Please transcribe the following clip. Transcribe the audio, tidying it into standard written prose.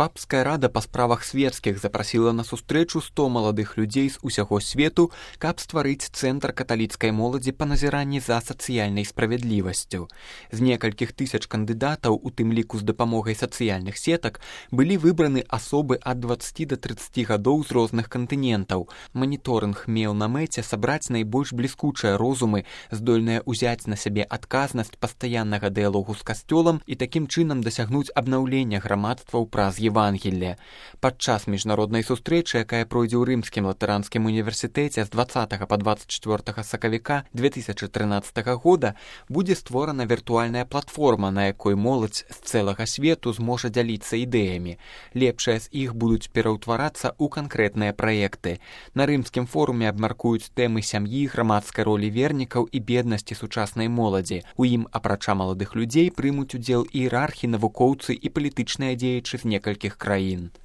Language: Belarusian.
Папская рада па справах светскіх запрасіла на сустрэчу 100 маладых людзей з усяго свету, каб стварыць цэнтр каталіцкай моладзі па назіранні за сацыяльнай справядлівасцю. З некалькіх тысяч кандыдатаў, у тым ліку з дапамогай сацыяльных сетак, былі выбраны асобы ад 20 да 30 гадоў з розных кантынентаў. Маніторынг меў на мэце сабраць найбольш бліскучыя розумы, здольныя ўзяць на сябе адказнасць пастаяннага дыялогу з касцёлам і такім чынам дасягнуць абнаўлення грамадстваў праз Евангелле. Падчас міжнароднай сустрэчы, якая пройдзе ў Рымскім латаранскім універсітэце з 20 па 24 сакавіка 2013 года, будзе створана віртуальная платформа, на якой моладзь з цэлага свету зможа дзяліцца ідэямі. Лепшыя з іх будуць пераўтварацца ў канкрэтныя праекты. На Рымскім форуме абмяркуюць тэмы сям'і, грамадскай ролі вернікаў і беднасці сучаснай моладзі. У ім, апрача маладых людзей, прымуць удзел іерархі, навукоўцы і палітычныя дзеячы з некалькіх краін.